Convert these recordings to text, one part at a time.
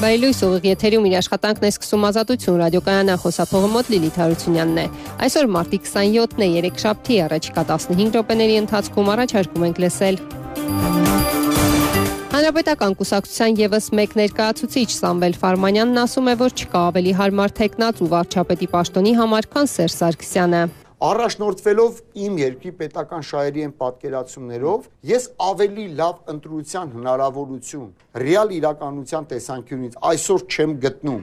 Բայլույս ուղիղ եթերում իր աշխատանքն է սկսում Ազատություն ռադիոկայանը, խոսափողը մոտ Լիլիթ Հարությունյանն է։ Այսօր մարտի 27-ն է, երեքշաբթի, առաջիկա 15 րոպեների ընթացքում առաջարկում ենք լսել։ Հանրապետական կուսակցության ևս մեկ ներկայացուցիչ Սամվել Ֆարմանյանն ասում է, որ չկա ավելի հարմար թեկնած ու վարչապետի պաշտոնի համար, քան Սերժ Սարգսյանը։ Առաջնորդվելով իմ երկրի պետական շահերի են պատկերացումներով, ես ավելի լավ ընտրության հնարավորություն ռեալ իրականության տեսանկյունից այսօր չեմ գտնում։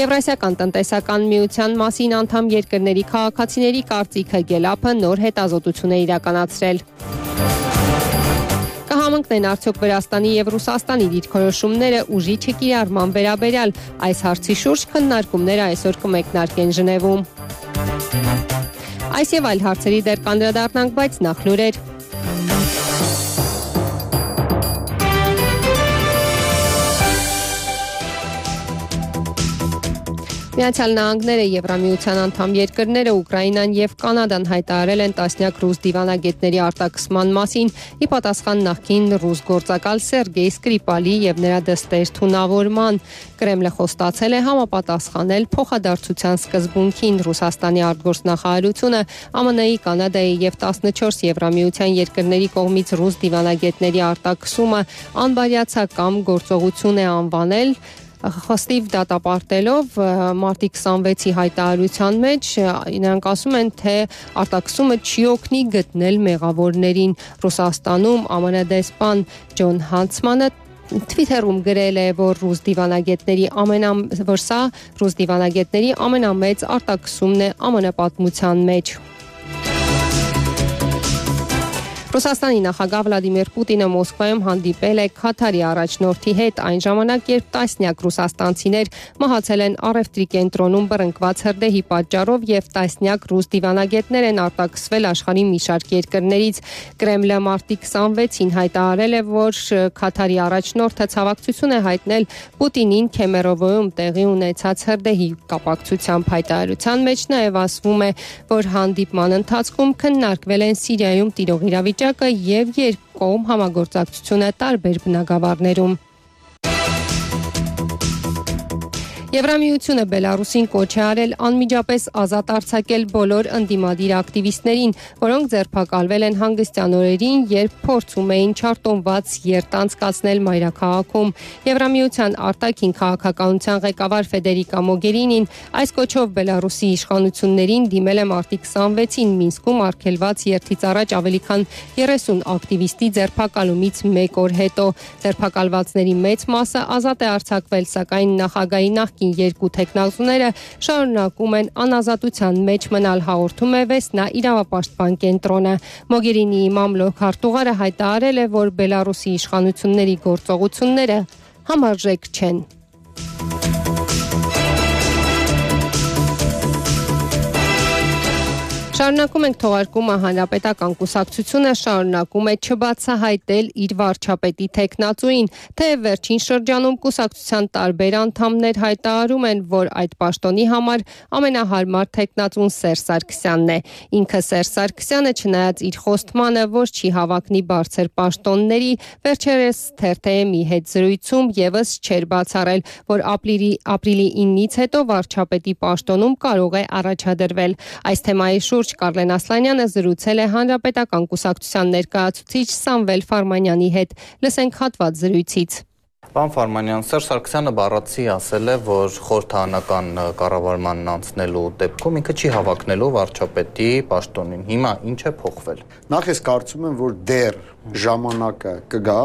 Եվրասիական տնտեսական միության մասին անդամ երկրների քաղաքացիների կարծիքը Գելափը նոր հետազոտություն է իրականացրել։ Կհամընկնեն արդյոք Վրաստանի եւ Ռուսաստանի դիրքորոշումները ուժի չկիրառման վերաբերյալ, այս հարցի շուրջ քննարկումները այսօր կմեկնարկեն Ժնևում։ Այս եւ այլ հարցերի դեռ կանդրադառնանք, բայց նախ լուրեր։ Միացյալ Նահանգները, Եվրամիության անդամ երկրները, Ուկրաինան եւ Կանադան հայտարարել են տասնյակ ռուս դիվանագետների արտաքսման մասին՝ ի պատասխան նախկին ռուս գործակալ Սերգեյ Սկրիպալի եւ նրա դստեր թունավորման։ Կրեմլը խոստացել է համապատասխանել փոխադարձության սկզբունքին։ Ռուսաստանի արտգործնախարարությունը ԱՄՆ-ի, Կանադայի եւ 14 Եվրամիության երկրների կողմից ռուս դիվանագետների արտաքսումը անբարյացակամ գործողություն է անվանել։ Խստիվ դատապարտելով մարտի 26-ի հայտարարության մեջ նրանք ասում են, թե արտաքսումը չի օգնի գտնել մեղավորներին։ Ռուսաստանում ԱՄՆ դեսպան Ջոն Հանցմանը Twitter-ում գրել է, որ ռուս դիվանագետների ամենամեծ արտաքսումն է ԱՄՆ պատմության մեջ։ Ռուսաստանի նախագահ Վլադիմիր Պուտինը Մոսկվայում հանդիպել է Քաթարի առաջնորդի հետ, այն ժամանակ, երբ տասնյակ ռուսաստանցիներ մահացել են առևտրի կենտրոնում բռնկված հրդեհի պատճառով եւ տասնյակ ռուս դիվանագետներ են արտաքսվել աշխարհի մի շարք երկրներից։ Կրեմլը մարտի 26-ին հայտարարել է, որ Քաթարի առաջնորդը ցավակցություն է հայտնել Պուտինին Քեմերովոյում տեղի ունեցած հրդեհի կապակցությամբ։ Հայտարարության մեջ նաեւ ասվում է, որ հանդիպման ընթացքում քննարկվել են Սիրիայում տիրող իրավիճակը եւ երկկողմ համագործակցությունը տարբեր բնագավառներում։ Եվրամիությունը Բելարուսին կոչ է արել անմիջապես ազատ արձակել բոլոր ընդդիմադիր ակտիվիստներին, որոնք ձերբակալվել են հանգստյան օրերին, երբ փորձում էին չարտոնված երթ անցկացնել մայրաքաղաքում։ Եվրամիության արտաքին քաղաքականության ղեկավար Ֆեդերիկա Մոգերինին այս կոչով Բելարուսի իշխանություններին դիմել է մարտի 26-ին Մինսկում արգելված երթից առաջ ավելի քան 30 ակտիվիստի ձերբակալումից մեկ օր հետո։ Ձերբակալվածների մեծ մասը ազատ է արձակվել, սակայն նախագահի նախկին երկու թեկնածուները շարունակում են անազատության մեջ մնալ, հաղորդում է Վեսնա իրավապաշտպան կենտրոնը։ Մոգերինիի մամլոք հարտուղարը հայտարարել է, որ Բելարուսի իշխանությունների գործողությունները համարժեք չեն։ Շարունակում ենք թողարկումը Հանրապետական կուսակցությունը շարունակում է չբացահայտել իր վարչապետի թեկնածուին, թեև վերջին շրջանում կուսակցության տարբեր անդամներ հայտարարում են, որ այդ պաշտոնի համար ամենահարմար թեկնածուն Սերժ Սարգսյանն է։ Ինքը Սերժ Սարգսյանը, չնայած իր խոստմանը, որ չի հավակնի բարձր պաշտոնների, վերջերս թերթ-ի հետ զրույցում եւս չէր բացառել, որ ապրիլի 9-ից հետո վարչապետի պաշտոնում կարող է առաջադրվել։ Այս թեմայի շուրջ Կարլեն Ասլանյանը զրուցել է Հանրապետական կուսակցության ներկայացուցիչ Սամվել Ֆարմանյանի հետ։ Լսենք հատված զրույցից։ Պարոն Ֆարմանյան, Սերժ Սարգսյանը բառացի ասել է, որ խորհրդարանական կառավարմանն անցնելու դեպքում ինքը չի հավակնելու վարչապետի պաշտոնին։ Հիմա ինչ է փոխվել։ Նախ ես կարծում եմ, որ դեռ ժամանակը կգա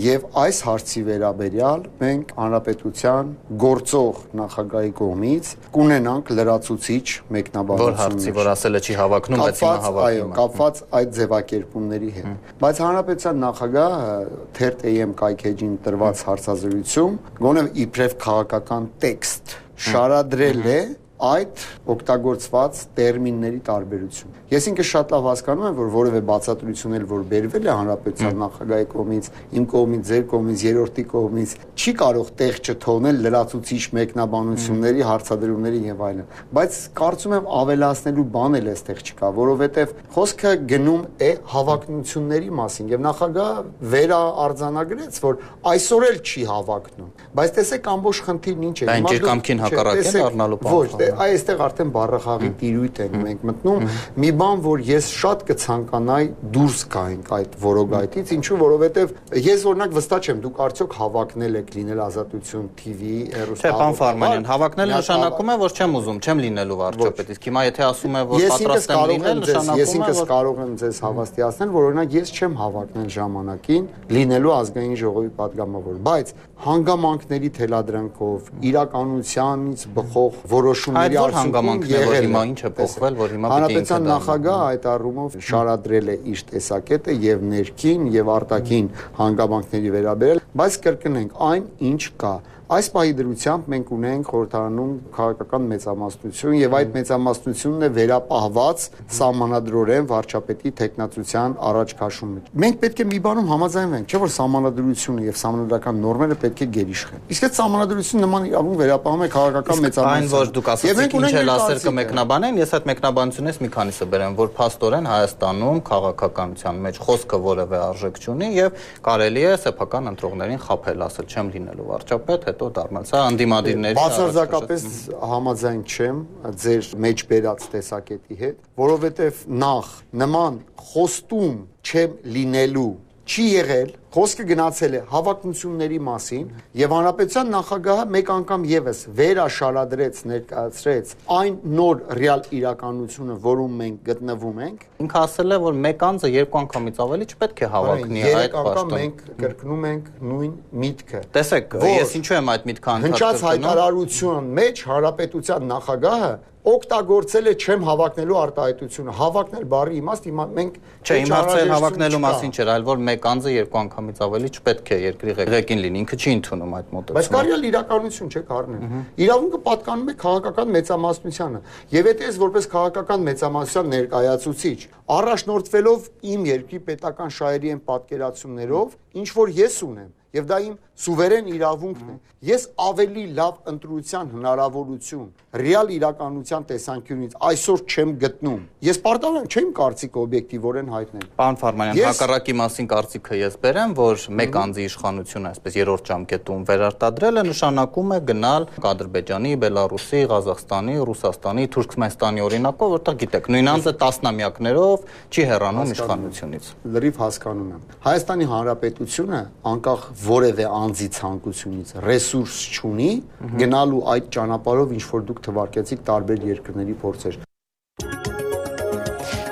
եւ այս հարցի վերաբերյալ մենք հանրապետության գործող նախագահի կողմից կունենանք լրացուցիչ մեկնաբանություն։ Որ հարցի, որ ասել է չի հավակնում, բայց հիմա հավակնում է։ Այո, կապված այդ ձևակերպումների հետ։ Բայց հանրապետության նախագահը թերթ-ում կայքեջին տրված հարցազրույցում գոնե իբրև քաղաքական տեքստ շարադրել է այդ օգտագործված տերմինների տարբերություն։ Ես ինքս շատ լավ հասկանում եմ, որ որևէ բացատրություն էլ որ բերվել է հանրապետության նախագահի կողմից, իմ կողմից, ձեր կողմից, երրորդի կողմից, չի կարող տեղ չթողնել լրացուցիչ մեկնաբանությունների, հարցադրումների եւ այլն։ Բայց կարծում եմ ավելացնելու բան էլ այստեղ չկա, որովհետեւ խոսքը գնում է հավակնությունների մասին եւ նախագահը վերաարձանագրեց, որ այսօր էլ չի հավակնում։ Բայց տեսեք ամբողջ խնդիրն ինչ է։ Այն ջերկամքին հակառակ է առնալու բան։ Ոչ, այստեղ արդեն բառախաղի տիրույթ ենք մենք մտնում։ Մի բան, որ ես շատ կցանկանայի դուրս գայինք այդ որոգայթից, ինչու որովհետեւ ես օրինակ վստահ չեմ, դուք արդյոք հավակնել եք լինել Ազատություն TV հեռուստաալիք։ Չէ, պարոն Ֆարմանյան, հավակնելը նշանակում է, որ չեմ ուզում, չեմ լինելու վարչապետ։ Իսկ հիմա եթե ասում է, որ պատրաստ եմ լինել, նշանակում է, ես ինքս կարող եմ ձեզ հավաստիացնել, որ օրինակ ես չեմ հավակնել ժամանակին լինելու ազգային ժողովի падգամավոր, բայց հանգամանքների թելադրանքով, իրականությանից բխող որոշումների արդյունքում եղել հիմա ինչ է փոխվել, որ հիմա պիտի հանրապետության նախագահը այդ առումով շարադրել է իր տեսակետը եւ ներքին եւ արտաքին հանգամանքների վերաբերյալ, բայց կրկնենք այն ինչ կա։ Այս պահի դրությամբ մենք ունենք խորհրդարանում քաղաքական մեծամասնություն եւ այդ մեծամասնությունն է վերապահված սահմանադրորեն վարչապետի տեխնացության առաջ քաշումը։ Մենք պետք է մի բանում համաձայնվենք, չէ՞ որ սահմանադրությունը եւ սահմանադրական նորմերը պետք է գերիշխեն։ Իսկ այդ սահմանադրությունը նման իրավունք վերապահում է քաղաքական մեծամասնություն։ Այն որ դուք ասացիք ինչ էլ ասել կմեկնաբանեն, ես այդ մեկնաբանությունից մի քանիսը բերեմ, որ փաստորեն Հայաստանում քաղաքականության մեջ խոսքը որևէ արժեք չունի եւ կարելի է սեփական ընտրողներին խաբել, ասել չեմ լինելու վարչապետ, դառնալ, սա անդիմադիրների բացարձակապես համաձայն չեմ ձեր մեջ բերած տեսակետի հետ, որովհետև նախ նման խոստում չեմ լինելու չի եղել, խոսքը գնացել է հավակնությունների մասին եւ հանրապետության նախագահը մեկ անգամ եւս վերաշարադրեց, ներկայացրեց այն նոր ռեալ իրականությունը, որում մենք գտնվում ենք։ Ինքը ասել է, որ մեկ անձը երկու անգամից ավելի չպետք է հավակնի այդ պաշտոն։ Մենք կրկնում ենք նույն միտքը։ Տեսեք, ես ինչու եմ այդ միտքը հնչած հայտարարության մեջ հանրապետության նախագահը օգտագործել է չեմ հավակնելու արտահայտությունը։ Հավակնել բառի իմաստ մենք չէ, իմ հարցը հավակնելու մասին չէր, այլ որ մեկ անձը երկու անգամից ավելի չպետք է երկրի ղեկին լինի, ինքը չի ընդունում այդ մոտեցումը։ Բայց կարելի է իրականություն չէ կառնել։ Իրավունքը պատկանում է քաղաքական մեծամասնությանը։ Եվ եթե ես որպես քաղաքական մեծամասնության ներկայացուցիչ առաջնորդվելով իմ երկրի պետական շահերի են պատկերացումներով, ինչ որ ես ունեմ, եւ դա իմ սուվերեն իրավունքն է։ Ես ավելի լավ ընտրության հնարավորություն ռեալ իրականության տեսանկյունից այսօր չեմ գտնում։ Ես պարտավոր եմ չեմ կարծիքը օբյեկտիվորեն հայտնել։ Պարոն Ֆարմանյան, հակառակի մասին կարծիքը ես բերեմ, որ մեկ անձի իշխանությունը, այսպես երրորդ ժամկետում վերարտադրելը նշանակում է գնալ Ադրբեջանի, Բելարուսի, Ղազախստանի, Ռուսաստանի, Թուրքմենստանի օրինակով, որտեղ գիտեք, նույն անձը տասնամյակներով չի հեռանում իշխանությունից։ Լրիվ հասկանում եմ։ Հայաստանի Հանրապետությունը անկախ որևէ անձի ցանկությունից ռեսուրս չունի գնալու այդ ճանապարհով, ինչ որ դուք թվարկեցիք տարբեր երկրների փորձեր։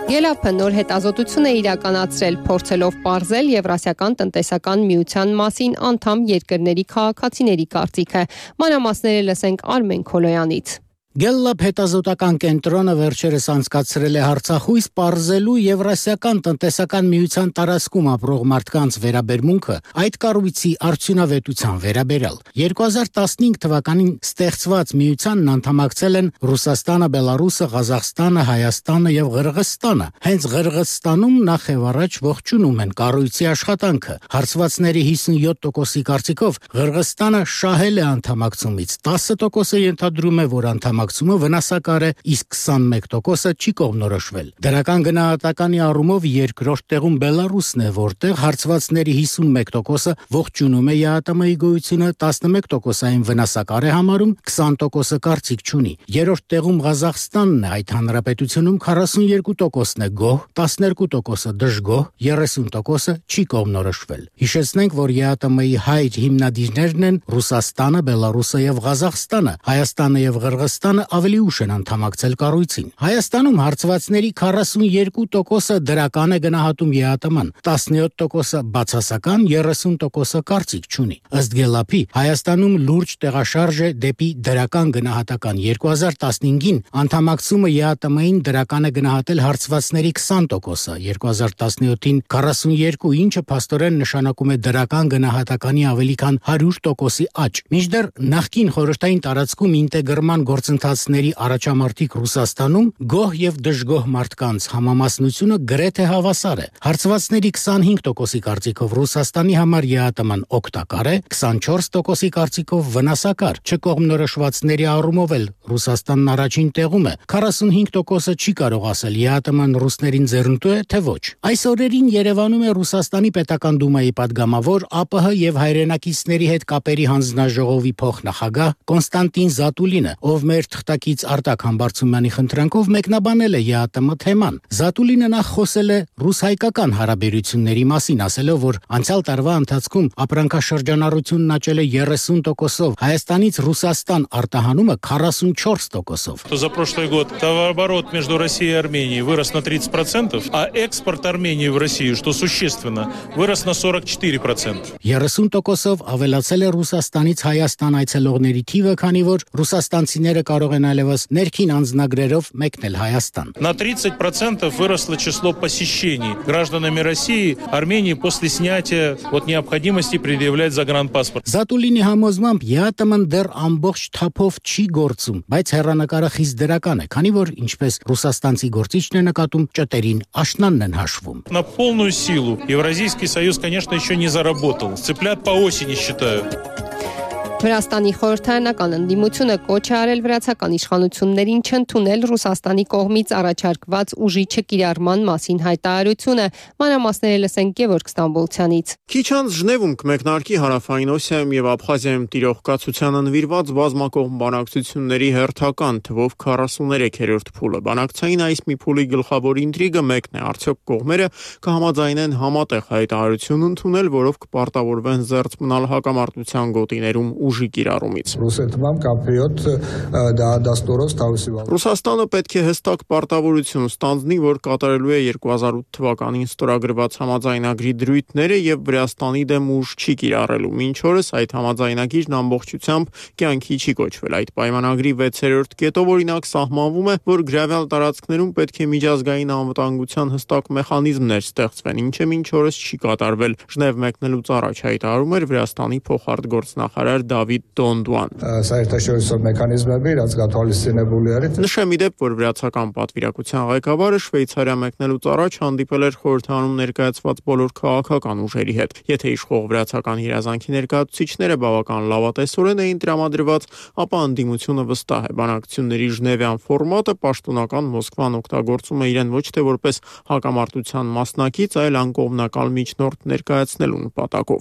ԵԼԱՊ-ը նոր հետազոտություն է իրականացրել, փորձելով պարզել Եվրասիական տնտեսական միության մասին անդամ երկրների քաղաքացիների կարծիքը։ Մանրամասները լսենք Արմեն Քոլոյանից։ ԵԼԱՊ հետազոտական կենտրոնը վերջերս անցկացրել է հարցախույս պարզելու Եվրասիական տնտեսական միության տարածքում ապրող մարդկանց վերաբերմունքը այդ կառույցի արդյունավետության վերաբերյալ։ 2015 թվականին ստեղծված միությանն անդամակցել են Ռուսաստանը, Բելարուսը, Ղազախստանը, Հայաստանը եւ Ղրղըզստանը։ Հենց Ղրղըզստանում նախ եւ առաջ ողջունում են կառույցի աշխատանքը։ Հարցվածների 57%-ի կարծիքով Ղրղըզստանը շահել է անդամակցումից, 10%-ը ենթադրում է, որ անդամակցումը վնասակար է, իսկ 21%-ը չի կողմնորոշվել։ Դրական գնահատականի առումով երկրորդ տեղում Բելարուսն է, որտեղ հարցվածների 51%-ը ողջունում է ԵԱՏՄ-ի գոյությունը, 11%-ային վնասակար է համարում, 20%-ը կարծիք չունի։ Երրորդ տեղում Ղազախստանն է, այդ հանրապետությունում 42%-ն է գոհ, 12%-ը դժգոհ, 30%-ը չի կողմնորոշվել։ Հիշեցնենք, որ ԵԱՏՄ-ի հայր հիմնադիրներն են Ռուսաստանը, Բելարուսը եւ Ղազախստանը, Հայաստանը եւ Ղրղըզստանը ավելի ուշ են անդամակցել կառույցին։ Հայաստանում հարցվածների 42%-ը դրական է գնահատում ԵԱՏՄ-ն, 17%-ը բացասական, 30%-ը կարծիք չունի։ Ըստ ԵԼԱՊ-ի, Հայաստանում լուրջ տեղաշարժ է դեպի դրական գնահատական։ 2015-ին անդամակցումը ԵԱՏՄ-ին դրական է գնահատել հարցվածների 20%-ը, 2017-ին 42%, ինչը փաստորեն նշանակում է դրական գնահատականի ավելի քան 100%-ի աճ։ Մինչդեռ նախկին խորհրդային տարածքում ինտեգրման գործընթացների առաջամարտիկ Ռուսաստանում գոհ եւ դժգոհ մարդկանց համամասնությունը գրեթե հավասար է։ Հարցվածների 25%-ի կարծիքով Ռուսաստանի համար ԵԱՏՄ-ն օգտակար է, 24%-ի կարծիքով վնասակար։ Չկողմնորոշվածների առումով էլ Ռուսաստանն առաջին տեղում է։ 45%-ը չի կարող ասել ԵԱՏՄ-ն ռուսներին ձեռնտու է, թե ոչ։ Այս օրերին Երևանում է Ռուսաստանի պետական դումայի падգամավոր ԱՊՀ եւ հայրենակիցների հետ կապերի հանձնաժողովի փոխնախագահ Կոնստանտին Զատուլինը, ով մեր թղթակից Արտակ Համբարձումյանի խնդրանքով մեկնաբանել է ԵԱՏՄ թեման։ Զատուլինը նախ խոսել է ռուս-հայկական հարաբերությունների մասին, ասելով, որ անցյալ տարվա ընթացքում ապրանքաշրջանառությունն աճել է 30%-ով, Հայաստանից Ռուսաստան արտահանումը 44%-ով։ За прошлый год товарооборот между Россией и Арменией вырос на 30%, а экспорт Армении в Россию, что существенно, вырос на 44%. 30%-ով ավելացել է Ռուսաստանից Հայաստան այցելողների թիվը, քանի որ ռուսաստանցիները կարող են այլևս ներքին անձնագրերով մեկնել Հայաստան։ На 30% выросло число посещений гражданами России Армении после снятия от необходимости предъявлять загранпаспорт. Զատուլինի համոզմամբ ԵԱՏՄ-ն դեռ ամբողջ թափով չի գործում, բայց հեռանկարը խիստ դրական է, քանի որ ինչպես ռուսաստանցի գործիչն է նկատում, ճտերին աշնանն են հաշվում։ На полную силу Евразийский союз, конечно, еще не заработал. Цыплят по осени считают. Վրաստանի խորհրդարանական ընդդիմությունը կոչ է արել վրացական իշխանություններին չընդունել Ռուսաստանի կողմից առաջարկված ուժի չկիրառման մասին հայտարարությունը, մանրամասները լսենք Գևորգ Ստամբոլցյանից։ Քիչ անց Ժնևում կմեկնարկի Հարավային Օսիայում եւ Աբխազիայում տիրող կացությանը նվիրված բազմակողմ բանակցությունների հերթական թվով 43-րդ փուլը։ Բանակցային այս մի փուլի գլխավոր ինտրիգը մեկն է, արդյոք կողմերը կհամաձայնեն համատեղ հայտարարություն ընդունել, որով կպարտավորվեն զերծ մնալ հակամարտության գոտիներում ուժի կիրառումից։ Ռուսաստանը պետք է հստակ պարտավորություն ստանձնի, որ կատարելու է 2008 թվականին ստորագրված համաձայնագրի դրույթները եւ Վրաստանի դեմ ուժ չի կիրառելու։ Մինչ օրս այդ համաձայնագիրն ամբողջությամբ կյանքի չի կոչվել։ Այդ պայմանագրի 6-րդ կետով օրինակ սահմանվում է, որ գրավյալ տարածքներում պետք է միջազգային անվտանգության հստակ մեխանիզմներ ստեղծվեն, ինչը մինչ օրս չի կատարվել։ Ժնև մեկնելուց առաջ հայտարարում էր Վրաստանի փոխարտգործնախարար Դավիթ Դոնդուան։ Նշեմ իդեպ, որ վրացական պատվիրակության ղեկավարը Շվեյցարիա մեկնելուց առաջ հանդիպել էր խորհրդարանում ներկայացված բոլոր քաղաքական ուժերի հետ։ Եթե իշխող վրացական հրազանքի ներկայացուցիչները բավական լավատեսորեն էին տրամադրված, ապա ընդդիմությունը վստահ է, բանակցությունների ժնևյան ֆորմատը պաշտոնական Մոսկվան օգտագործում է իրեն ոչ թե որպես հակամարտության մասնակից, այլ անկողմնակալ միջնորդ ներկայացնելու նպատակով։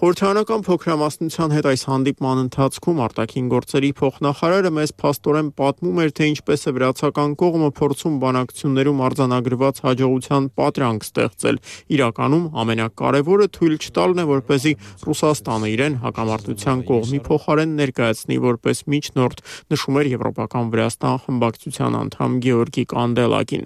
Խորհրդարանական փոքրամասնության հետ այս հանդիպման ընթացքում արտաքին գործերի փոխնախարարը մեզ փաստորեն պատմում էր, թե ինչպես է վրացական կողմը փորձում բանակցություններում արձանագրված հաջողության պատրանք ստեղծել։ Իրականում ամենակարևորը թույլ չտալն է, որպեսզի Ռուսաստանը իրեն հակամարտության կողմի փոխարեն ներկայացնի որպես միջնորդ, նշում էր եվրոպական Վրաստան խմբակցության անդամ Գեորգի Կանդելակին։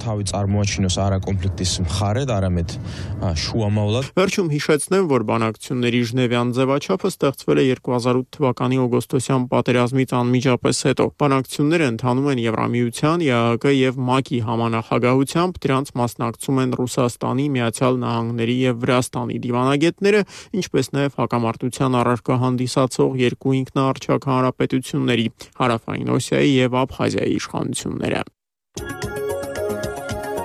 Վերջում հիշեցնեմ, որ բանակցությունների ժնևյան ձևաչափը ստեղծվել է 2008 թվականի օգոստոսյան պատերազմից անմիջապես հետո։ Բանակցությունները ընթանում են Եվրամիության, ԵԱՀԿ եւ ՄԱԿ-ի համանախագահությամբ, դրանց մասնակցում են Ռուսաստանի, Միացյալ Նահանգների եւ Վրաստանի դիվանագետները, ինչպես նաեւ հակամարտության առարկա հանդիսացող երկու ինքնաառչակ հանրապետությունների՝ Հարավային Օսիայի եւ Աբխազիայի իշխանությունները։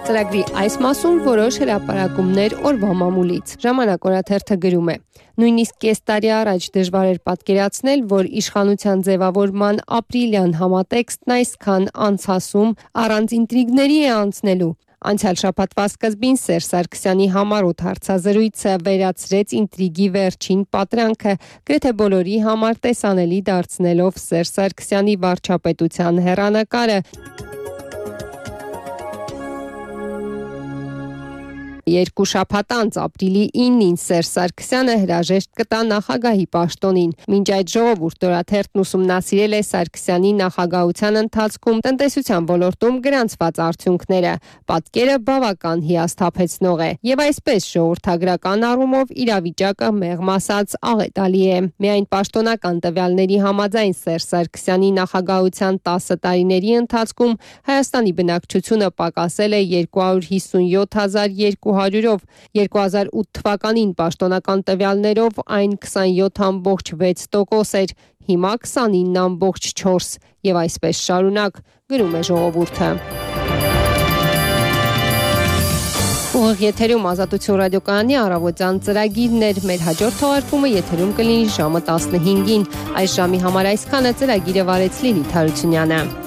Ծրագրի այս մասում որոշ հրապարակումներ օրվա մամուլից։ Ժամանակ օրաթերթը գրում է. նույնիսկ կես տարի առաջ դժվար էր պատկերացնել, որ իշխանության ձևավորման ապրիլյան համատեքստն այսքան անցասում առանց ինտրիգների է անցնելու։ Անցյալ շաբաթվա սկզբին Սերժ Սարգսյանի համառոտ հարցազրույցը վերացրեց ինտրիգի վերջին պատրանքը, գրեթե բոլորի համար տեսանելի դարձնելով Սերժ Սարգսյանի վարչապետության հեռանկարը։ Երկու շաբաթ անց ապրիլի 9-ին Սերժ Սարգսյանը հրաժեշտ կտա նախագահի պաշտոնին։ Մինչ այդ ժողովուրդ օրաթերթն ուսումնասիրել է Սարգսյանի նախագահության ընթացքում տնտեսության ոլորտում գրանցված արդյունքները։ Պատկերը բավական հիասթափեցնող է։ Եվ այսպես ժողովրդագրական առումով իրավիճակը մեղմ ասած աղետալի է։ Միայն պաշտոնական տվյալների համաձայն Սերժ Սարգսյանի նախագահության 10 տարիների ընթացքում Հայաստանի բնակչությունը պակասել է 257,200 200-ով, 2008 թվականին պաշտոնական տվյալներով այն 27.6% էր, հիմա 29.4% եւ այսպես շարունակ, գրում է ժողովուրդը։ Ուղիղ եթերում Ազատություն ռադիոկայանի առավոտյան ծրագիրն էր, մեր հաջորդ թողարկումը եթերում կլինի ժամը 15-ին, այս ժամի համար այսքանը, ծրագիրը վարեց Լիլիթ Հարությունյանը։